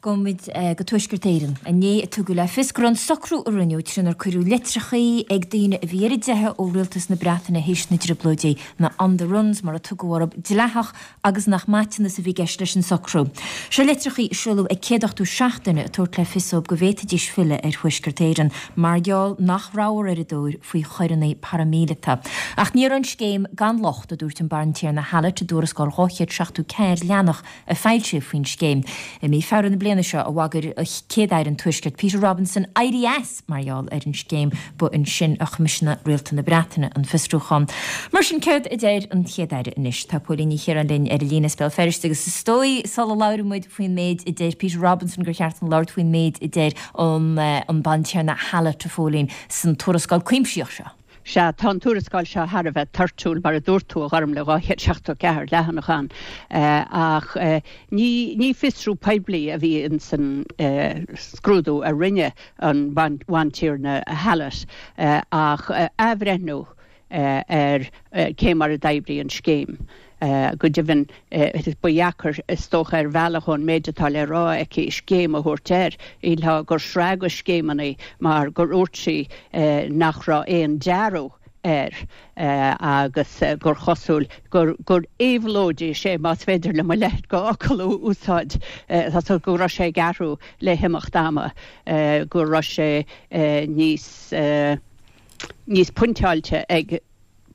Gabhfaidh muid go Tuaisceart Éireann. Inné a tugadh le fios go raibh an socrú a rinneadh trínar cuireadh litreachaí ag daoine a bhí ar a dteitheadh ó rialtas na Breataine théis na dTrioblóidí, na 'on the runs' mar a tugadh orthu, dleathach agus nach maiteanas a bhí i gceist leis an socrú. Seo litreachaí a seoladh ag 187 duine ag tabhairt le fios dóibh go bhféadfaidís filleadh ar Thuaisceart Éireann mar gheall nach rabhthar ar a dtóir faoi choireanna paraimíleata. Ach ní raibh an scéim gan locht, a dúirt an Bantiarna Hallett i dtuarascáil 274 leathanach a foilsíodh faoin scéim. I mí Feabhra na bliana seo a bhagair Céad-Aire an Tuaiscirt Peter Robinson éirí as mar gheall ar an scéim. Ba ansin a choimisiúnaigh Rialtas na Breataine an fiosrúchán. Mar sin, céard a deir an Chéad-Aire anois? Tá Póilín Ní Chiaráin linn ar an líne as Béal Feirste agus is dóigh sula labhraíonn muid faoin méid a deir Peter Robinson gur cheart dúinn labhairt faoin méid a deir an Bantiarna Hallett, a Phóilín, san tuarascáil cuimsitheach seo. Sea, tá an tuarascáil seo thar a bheith toirtiúil, mar a dúirt tú, a Ghormlaith, 274 leathanach ann. Ach ní ní fiosrú poiblí a bhí ins an scrúdú a rinne an Bhantiarna Hallett ach athbhreithniú ar cé mar a d'oibrigh an scéim. Go deimhin, ba dheacair, is dócha, ar bhealach ón méid atá le rá aici, scéim a thabhairt air. Shílfeá gur sraith de scéimeanna mar gur dhúirt sí nach raibh aon dearadh air agus gur chosúil gur gur éabhlóidigh sé, más féidir liom a leithéid de fhocal a úsáid, go raibh sé ag athrú le himeacht ama, go raibh sé níos níos pointeáilte ag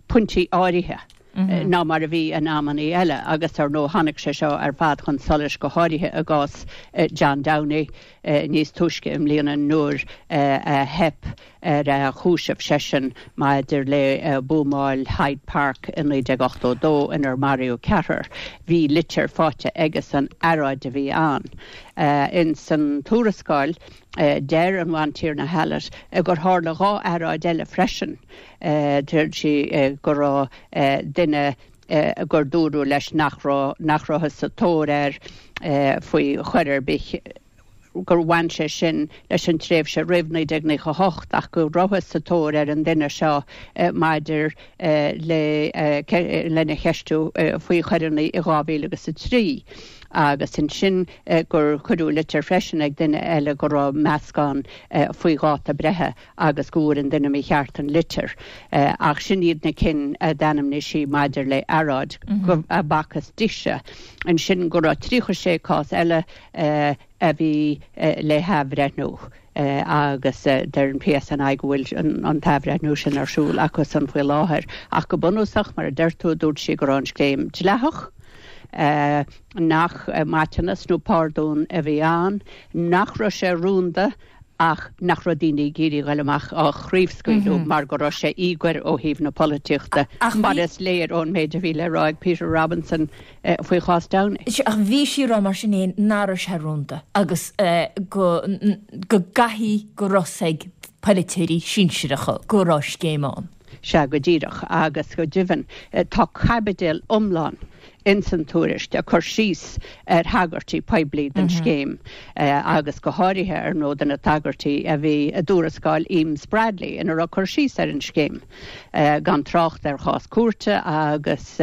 pointí áirithe ná mar a bhí in amannaí eile agus ar ndóigh tháinig sé seo ar fad chun solais go háirithe i gcás John Downey níos túisce i mbliana nuair a theip ar a chúiseamh seisean maidir le buamáil Hyde Park i 1982 inar maraíodh ceathrar. Bhí litir faighte aigesan, earráid a bhí ann. Ins an tuarascáil deir an Bhantiarna Hallett gur tharla dhá earráid eile freisin. Deir sí go raibh duine gur dúradh leis nach raibh, nach rabhthas sa tóir air faoi choir ar bith, gur bhain sé sin leis an tréimhse roimh 1998 ach go rabhthas sa tóir ar an duine seo maidir le lena cheistiú faoi choireanna i 2003 agus ansin gur cuireadh litir freisin ag duine eile go raibh meascán faoi dháta breithe agus go bhfuair an duine mícheart an litir. Ach sin iad na cinn a d'ainmnigh sí maidir le earráid a b'fhacthas dise. Ansin go raibh 36 cás eile a bhí le hathbhreithniú agus deir an PSNI go bhfuil an t-athbhreithniú sin ar siúl acusan faoi láthair. Ach go bunúsach, mar a deir tú, dúirt sí go raibh an scéim dleathach, nach maiteanas nó pardún a bhí ann, nach raibh sé rúnda ach nach raibh daoine ag iarraidh a ghoil amach á chraobhscaoileadh mar go raibh sé íogair ó thaobh na polaitíochta, mar is léir ón méid a bhí le rá ag Peter Robinson faoi chás Downey. Ach bhí sí ag rá mar sin féin nach raibh sé rúnda agus go go gcaithfidh go raibh a fhios ag polaiteoirí sinsearacha go raibh scéim ann. Sea, go díreach, agus go deimhin tá caibidil iomlán ins an tuairisc ag cur síos ar thagairtí poiblí don scéim agus go háirithe, ar ndóigh, do na tagairtí a bhí i dtuarascáil Eames Bradley ina raibh cur síos ar an scéim, gan trácht ar chás cúirte agus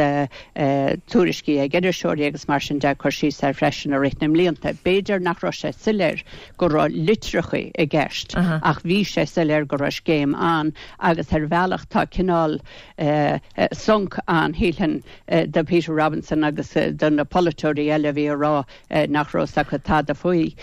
tuairiscí ag iriseoirí agus mar sin de ag cur síos air freisin i rith na mblianta. B'fhéidir nach raibh sé soiléir go raibh litreacha i gceist ach bhí sé soiléir go raibh scéim ann agus ar bhealach tá cineál sonc ann, shílfinn, do Peter Robinson agus do na polaiteoirí eile a bhí ag rá nach raibh 'fhios acu tada faoi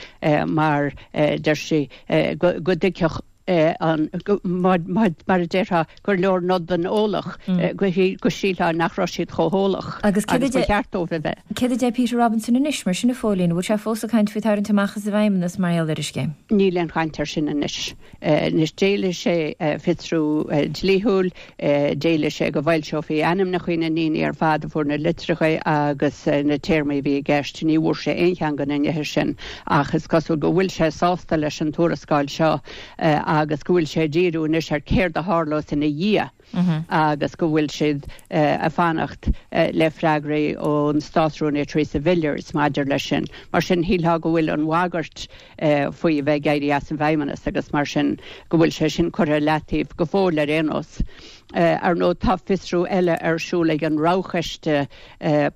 mar deir sí go dtuigfeadh an, mar a déarfá, gur leor nod don eolach, go sílfeá nach raibh siad chomh heolach agus ba cheart dóibh a bheith. Céard a deir Peter Robinson anois, mar sin, a Phóilín? An bhfuil sé fós ag caint faoi tarraingt amach as an bhFeidhmeannas mar gheall ar an scéim? Níl aon chaint air sin anois. Anois d'éiligh sé fiosrú dlíthiúil, d'éiligh sé go bhfoilseofaí ainmneacha na ndaoine ar fad a fuair na litreacha agus na téarmaí a bhí i gceist. Ní bhfuair sé aon cheann de na nithe sin ach is cosúil go bhfuil sé sásta leis an tuarascáil seo agus go bhfuil sé ag díriú anois ar céard a tharlós ina dhiaidh. Agus go bhfuil siad ag fanacht le freagraí ón Státrúnaí Theresa Villiers maidir leis sin. Mar sin, shílfeá go bhfuil an bhagairt faoi a bheith ag éirí as an bhFeidhmeannas agus mar sin go bhfuil sé sin curtha i leataobh go fóill ar aon nós. Ar ndóigh, tá fiosrú eile ar siúl ag an Roghchoiste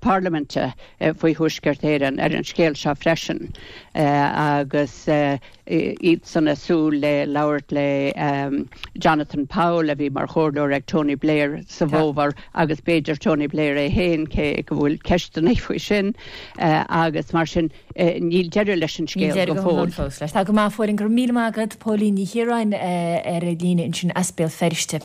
Parlaiminte faoi Thuaisceart Éireann ar an scéal seo freisin agus iadsan ag súil le labhairt le Jonathan Powell, a bhí mar chomhairleoir ag Tony Blair sa bhfómhar, agus b'fhéidir Tony Blair é féin, cé go bhfuil ceisteanna faoi sin, agus mar sin níl deireadh leis an scéal go fóill. Tá go maith, a Phóilín, go raibh míle maith agat, Póilín Ní Chiaráin ar an líne ansin as Béal Feirste.